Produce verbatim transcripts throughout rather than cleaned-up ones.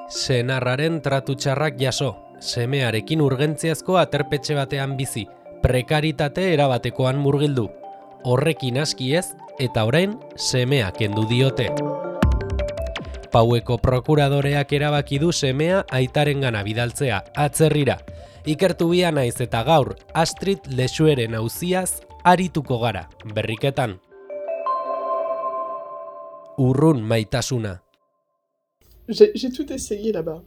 Senarraren tratu txarrak jaso, semearekin urgentziazko aterpetxe batean bizi, prekaritate erabatekoan murgildu. Horrekin aski ez, eta orain semea kendu diote. Paueko prokuradoreak erabaki du semea aitarengana bidaltzea, atzerrira. Ikertu bia naiz eta gaur, Astrid Lexueren auziaz arituko gara, berriketan. Urrun maitasuna. J'ai, j'ai tout essayé là-bas.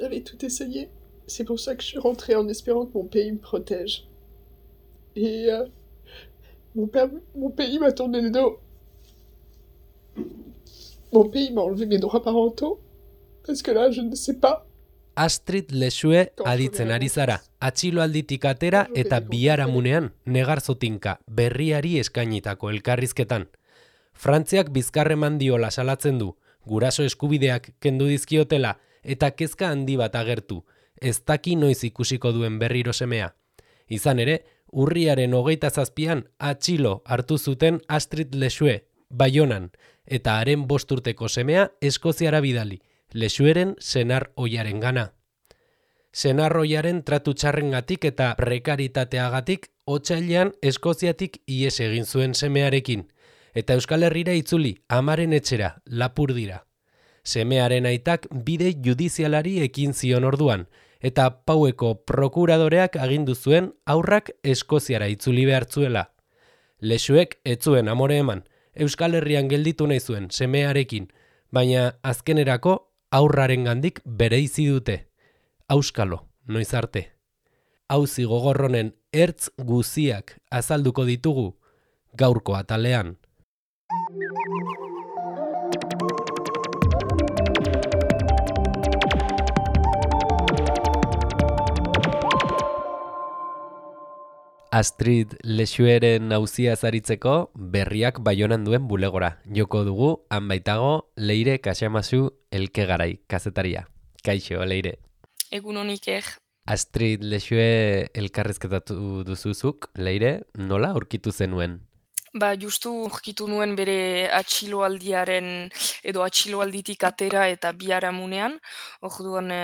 J'avais tout essayé. C'est pour ça que je suis rentrée en espérant que mon pays me protège. Et euh, mon, père, mon pays m'a tourné le dos. Mon pays m'a enlevé mes droits parentaux. Parce que là, je ne sais pas. Astrid Lexue aditzen ari zara, atxiloalditik atera eta biharamunean negarzotinka berriari eskainitako elkarrizketan. Frantziak bizkarreman diola salatzen du, guraso eskubideak kendu dizkiotela eta kezka handi bat agertu, ez daki noiz ikusiko duen berriro semea. Izan ere, urriaren hogeita zazpian atxilo hartu zuten Astrid Lexue, Baionan, eta haren bost urteko semea Eskoziara bidali, Lexueren senar ohiaren gana. Senar ohiaren tratu txarrengatik eta prekaritateagatik otsailean Eskoziatik ihes egin zuen semearekin, eta Euskal Herrira itzuli, amaren etxera, Lapurdira. Semearen aitak bide judizialari ekin zion orduan, eta Paueko prokuradoreak agindu zuen aurrak Eskoziara itzuli behartzuela. Lexuek ez zuen amore eman, Euskal Herrian gelditu nahi zuen semearekin, baina azkenerako aurrarengandik bereizi dute. Auskalo, noiz arte. Auzi gogorronen ertz guziak azalduko ditugu gaurko atalean. Astrid Lexueren auzia zaritzeko berriak Baionan duen bulegora. Joko dugu, han baitago, Leire Kaxamazu Elkegarai, kazetaria. Kaixo, Leire. Egun honik er. Astrid Lexue elkarrizketatu duzuzuk, Leire, nola aurkitu zenuen? Ba, justu urkitu nuen bere atxiloaldiaren edo atxiloalditik atera eta biharamunean. Orduan e,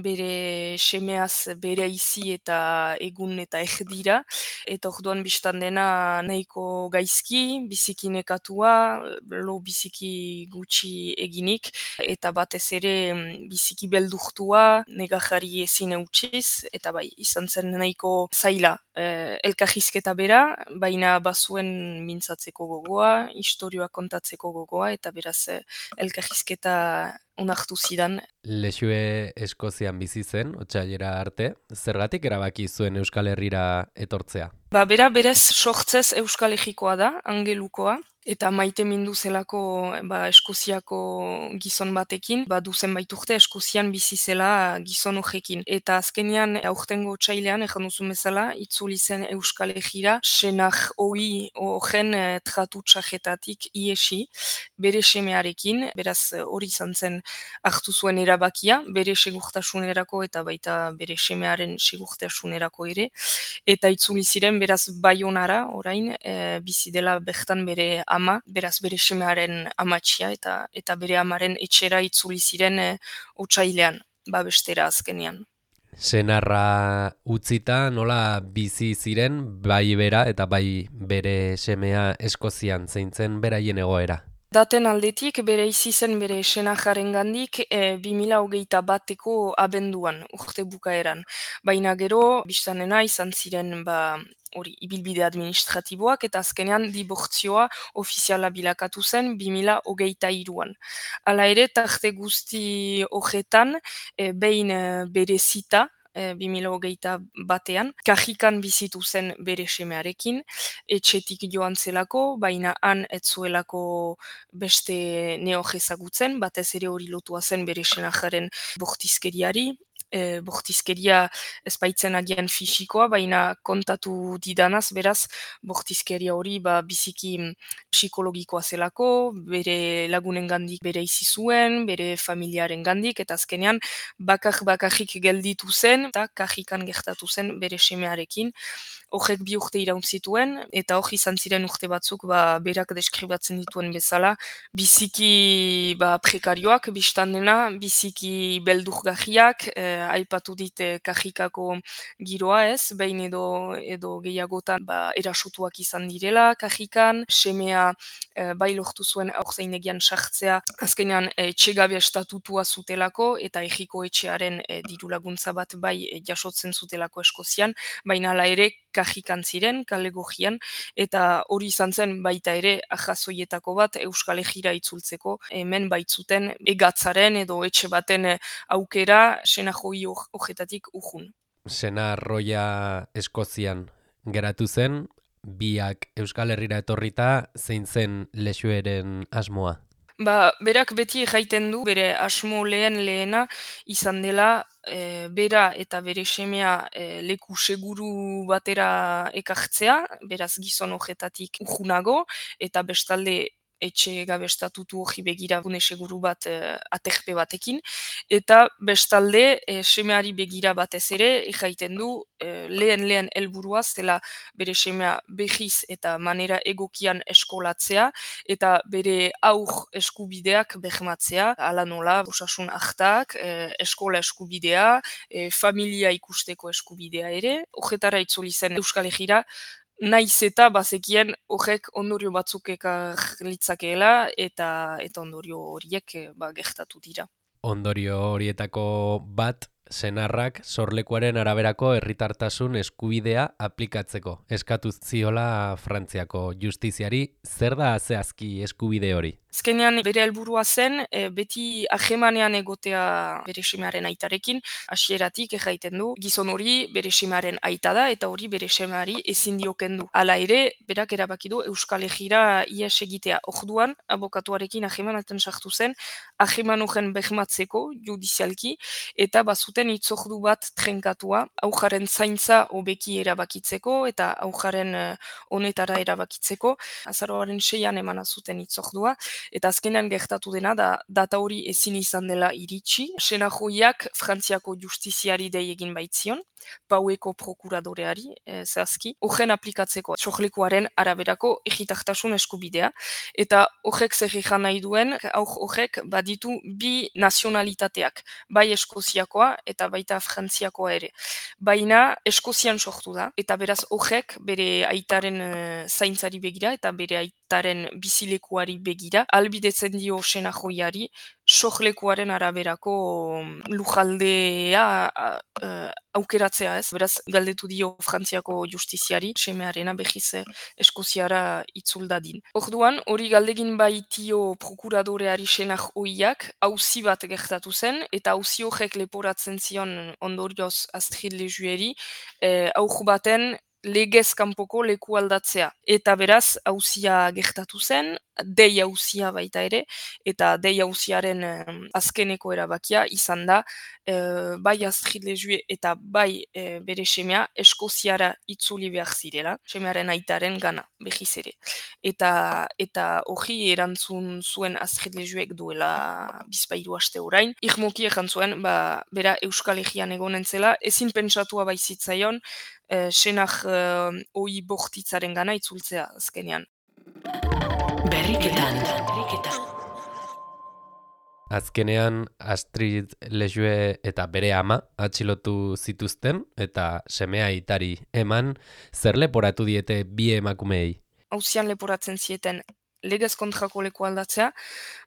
bere semeaz bere izi eta egun eta erdira. Eta orduan biztan dena nahiko gaizki, biziki nekatua, lo biziki gutxi eginik. Eta batez ere biziki beldurtua, negajari ezin eutxiz. Eta bai, izan zen nahiko zaila e, elkarrizketa bera, baina bazuen mintzatzeko gogoa, historioa kontatzeko gogoa, eta beraz elkarrizketa onartu zidan. Lexue Eskozian bizi zen, otsailera arte, zergatik erabaki zuen Euskal Herrira etortzea? Ba, bera berez sortzez Euskal Herrikoa da, angelukoa, eta maite mindu zelako ba, Eskoziako gizon batekin, ba, duzen baiturte Eskozian bizi zela gizon horrekin. Eta azkenean aurtengo otsailean, ejan duzun bezala, itzuli zen Euskal Herrira, senar hori horren eh, tratu txarretatik iesi, bere semearekin, beraz hori izan zen hartu zuen erabakia, bere segurtasunerako eta baita bere semearen segurtasunerako ere, eta itzuli ziren beraz Baionara orain e, bizi dela bertan bere ama, beraz bere semearen amatxia eta eta bere amaren etxera itzuli ziren e, otsailean, babestera azkenean. Senarra utzita nola bizi ziren bai bera eta bai bere semea Eskozian zeintzen beraien egoera? Daten aldetik bere izi zen bere senajaren gandik e, bi mila hogeita bateko abenduan, urte bukaeran. Baina gero, biztanena izan ziren ba, hori ibilbide administratiboak eta azkenean dibortzioa ofiziala bilakatu zen bi mila hogeita hiruan. Hala ere, tarte guzti horretan, e, behin e, bere zita, bi mila hogeita batean, kajikan bizitu zen bere semearekin, etxetik joan zelako, baina han ez zuelako beste neoje ezagutzen, batez ere hori lotua zen bere senajaren bortizkeriari, e, bortizkeria ez baitzen agian fisikoa, baina kontatu didanaz, beraz, bortizkeria hori ba, biziki psikologikoa zelako, bere lagunen gandik bere izi zuen, bere familiaren gandik, eta azkenean bakar bakarrik gelditu zen, eta kajikan gertatu zen bere semearekin. horrek bi urte iraun zituen, eta hor izan ziren urte batzuk ba, berak deskribatzen dituen bezala, biziki ba, prekarioak biztan dena, biziki beldurgarriak, eh, aipatu dit eh, kajikako giroa ez, behin edo, edo gehiagotan ba, erasutuak izan direla kajikan, semea eh, bai lortu zuen aurtzainegian sartzea, azkenean eh, etxegabe estatutua zutelako, eta egiko etxearen e, diru laguntza bat bai e, jasotzen zutelako Eskozian, baina hala ere kajikan ziren, kale gojian, eta hori izan zen baita ere ajazoietako bat Euskal Herrira itzultzeko, hemen baitzuten egatzaren edo etxe baten e, aukera senajoi hojetatik urjun. Senarroia Eskozian geratu zen, biak Euskal Herrira etorrita, zein zen Lexueren asmoa? Ba, berak beti jaiten du, bere asmo lehen lehena izan dela, e, bera eta bere semea e, leku seguru batera ekartzea, beraz gizon hojetatik urjunago, eta bestalde etxe gabe estatutu hori begira gune seguru bat e, aterpe batekin, eta bestalde e, semeari begira batez ere, jaiten du, e, lehen lehen helburua zela bere semea behiz eta manera egokian eskolatzea, eta bere aur eskubideak behmatzea, ala nola, osasun hartak, e, eskola eskubidea, e, familia ikusteko eskubidea ere, horretara itzuli zen Euskal Herrira, naiz eta bazekien horrek ondorio batzuk ekar litzakeela, eta, eta ondorio horiek e, ba, gertatu dira. Ondorio horietako bat, senarrak sorlekuaren araberako herritartasun eskubidea aplikatzeko. Eskatu ziola Frantziako justiziari, zer da zehazki eskubide hori? Azkenean bere helburua zen, e, beti ahemanean egotea bere semearen aitarekin, hasieratik erraiten du, gizon hori bere semearen aita da, eta hori bere semeari ezin dio kendu. Hala ere, berak erabaki du Euskal Herrira ies egitea. Orduan, abokatuarekin ahemanaten sartu zen, aheman horren behmatzeko, judizialki, eta bazuten itzordu bat trenkatua, aujaren zaintza hobeki erabakitzeko, eta aujaren uh, honetara erabakitzeko, azaroaren seian emana zuten itzordua, eta azkenean gertatu dena da data hori ezin izan dela iritsi. Senajoiak Frantziako justiziari dei egin baitzion, Paueko prokuradoreari e, zehazki, horren aplikatzeko sorlekuaren araberako egitartasun eskubidea, eta horrek zer egan nahi duen, horrek baditu bi nazionalitateak, bai Eskoziakoa eta baita Frantziakoa ere. Baina Eskozian sortu da, eta beraz horrek bere aitaren e, zaintzari begira eta bere aitaren bizilekuari begira, albidetzen dio senajoiari, sorlekuaren araberako lujaldea uh, aukeratzea ez. Beraz, galdetu dio Frantziako justiziari, semearena behiz Eskoziara itzul dadin. Orduan, hori galdegin baitio prokuradoreari senajoiak, auzi bat gertatu zen, eta auzi horrek leporatzen zion ondorioz Astrid Lejueri, eh, aur baten legez kanpoko leku aldatzea. Eta beraz, auzia gertatu zen, dei auzia baita ere, eta dei auziaren eh, azkeneko erabakia izan da, eh, bai Astrid Lejue eta bai eh, bere semea Eskoziara itzuli behar zirela, semearen aitaren gana, behiz ere. Eta eta hori erantzun zuen Astrid Lejuek duela bizpairu aste orain, irmoki egan zuen, ba, bera Euskal Herrian egonen zela, ezin pentsatua baizitzaion, Eh, senak eh, oi bortitzaren gana itzultzea azkenean. Berriketan. Azkenean Astrid Lejue eta bere ama atxilotu zituzten eta semea aitari eman, zer leporatu diete bi emakumeei? Auzian leporatzen zieten legez kontrako leku aldatzea,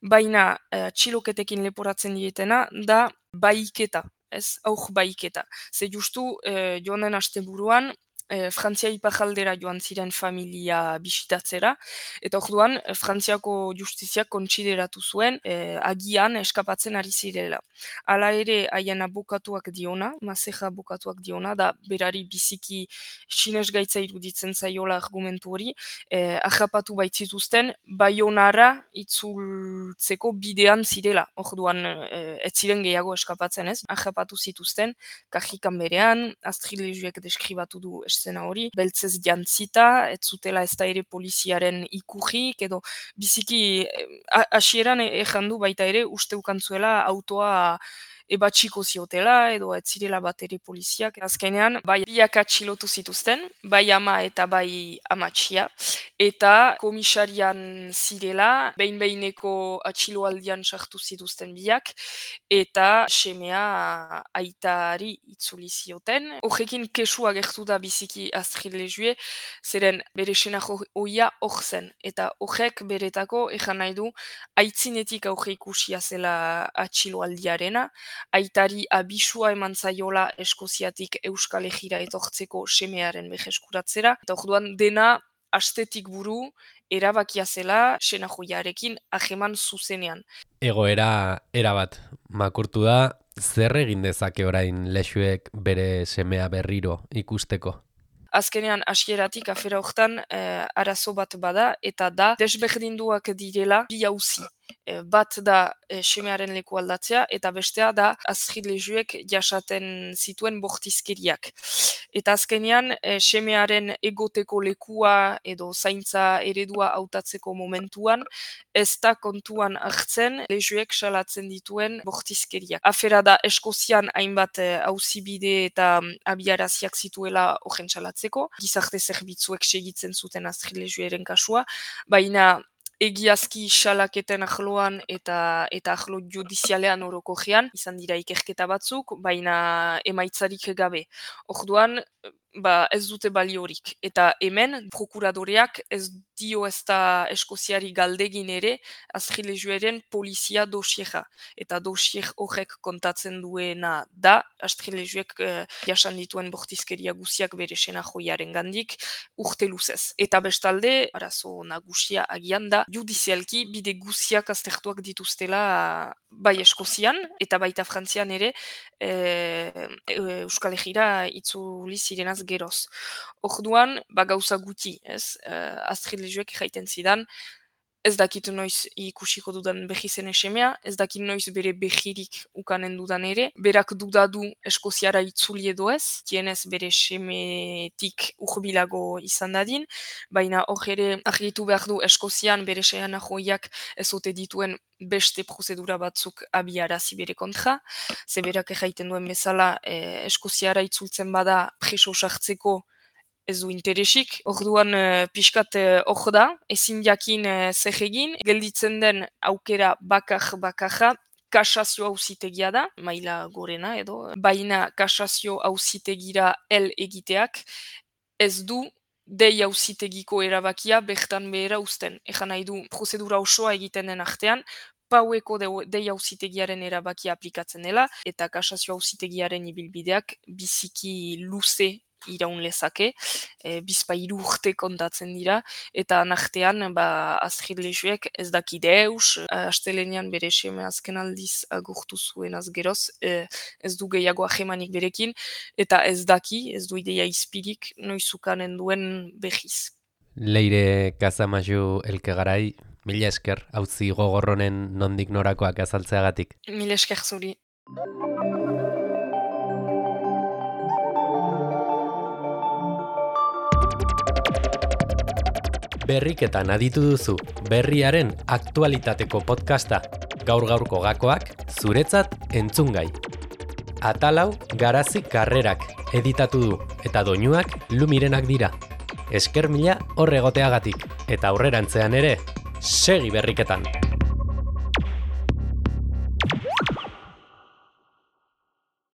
baina eh, txiloketekin leporatzen dietena da baiketa. Ez, aur baiketa. Ze justu, eh, joan den asteburuan, eh, Frantzia ipajaldera joan ziren familia bisitatzera, eta orduan, eh, Frantziako justiziak kontsideratu zuen, eh, agian eskapatzen ari zirela. Hala ere, haien abokatuak diona, mazeja abokatuak diona, da berari biziki sinez gaitza iruditzen zaiola argumentu hori, eh, ahapatu baitzituzten, Baionara itzultzeko bidean zirela. Orduan, eh, ez ziren gehiago eskapatzen ez, ahapatu zituzten, kajikan berean, Astrid Lejuek deskribatu du eszena hori, beltzez jantzita, ez zutela ez da ere poliziaren ikurrik, edo biziki, hasieran eh, ejan du baita ere, uste ukantzuela autoa ebatxiko ziotela, edo ez zirela bat ere poliziak. Azkenean, bai biak atxilotu zituzten, bai ama eta bai amatxia, eta komisarian zirela, behin-behineko atxiloaldian sartu zituzten biak, eta semea aitari itzuli zioten. Horrekin kesu agertu da biziki Astrid Lejue, zeren bere senago oia hor zen, eta horrek beretako ejan nahi du aitzinetik aurre ikusia zela atxiloaldiarena, aitari abisua eman zaiola Eskoziatik Euskal Herrira etortzeko semearen beheskuratzera, eta orduan dena astetik buru erabakia zela senajoiarekin ajeman zuzenean. Egoera erabat makurtu da, zer egin dezake orain Lexuek bere semea berriro ikusteko? Azkenean hasieratik afera hortan eh, arazo bat bada, eta da desberdinduak direla bi auzi. Eh, bat da eh, semearen leku aldatzea, eta bestea da Astrid Lejuek jasaten zituen bortizkeriak. Eta azkenean eh, semearen egoteko lekua edo zaintza eredua hautatzeko momentuan, ez da kontuan hartzen Lejuek salatzen dituen bortizkeriak. Afera da Eskozian hainbat auzibide eta abiaraziak zituela horren salatzeko, gizarte zerbitzuek segitzen zuten Astrid Lejueren kasua, baina egiazki salaketen ahloan eta eta ahlo judizialean orokojean izan dira ikerketa batzuk, baina emaitzarik gabe. Orduan, ba, ez dute baliorik. Eta hemen, prokuradoreak ez dio ez da Eskoziari galdegin ere Astrid Lejueren polizia dosiera. Eta dosier horrek kontatzen duena da, Astrid Lejuek eh, jasan dituen bortizkeria guziak bere senajoiaren gandik urte luzez. Eta bestalde, arazo nagusia agian da, judizialki bide guziak aztertuak dituztela bai Eskozian, eta baita Frantzian ere, e, Euskal Herrira itzuli zirenaz geroz. Orduan, ba gauza guti, ez? Uh, Astrid Lejuek jaiten zidan, ez dakit noiz ikusiko dudan behi zen semea, ez dakit noiz bere behirik ukanen dudan ere, berak dudadu Eskoziara itzuli edo ez, tienez bere semetik urbilago izan dadin, baina hor ere argitu behar du Eskozian bere seana joiak ez ote dituen beste prozedura batzuk abiarazi bere kontra, ze berak jaiten duen bezala eh, Eskoziara itzultzen bada preso sartzeko ez du interesik, orduan uh, pixkat hor uh, da, ezin jakin uh, zer egin, gelditzen den aukera bakar bakarra, kasazio auzitegia da, maila gorena edo, baina kasazio auzitegira el egiteak, ez du dei auzitegiko erabakia bertan behera uzten. Ejan nahi du prozedura osoa egiten den artean, paueko dei auzitegiaren erabakia aplikatzen dela, eta kasazio auzitegiaren ibilbideak biziki luze iraun lezake, e, bizpa hiru urte kontatzen dira, eta nartean ba, Astrid Lejuek ez daki deus, astelenean bere seme azken aldiz agurtu zuen azgeroz, e, ez du gehiago ahemanik berekin, eta ez daki, ez du ideia izpirik, noizukanen duen behiz. Leire Kazamaju Elkegarai, mila esker, hauzi gogorronen nondik norakoak azaltzeagatik. Mila esker zuri. Berriketan aditu duzu, berriaren aktualitateko podcasta, gaur-gaurko gakoak, zuretzat entzungai. Atalau Garazi Karrerak editatu du, eta doinuak Lumirenak dira. Esker mila hor egoteagatik, eta aurrerantzean ere, segi berriketan!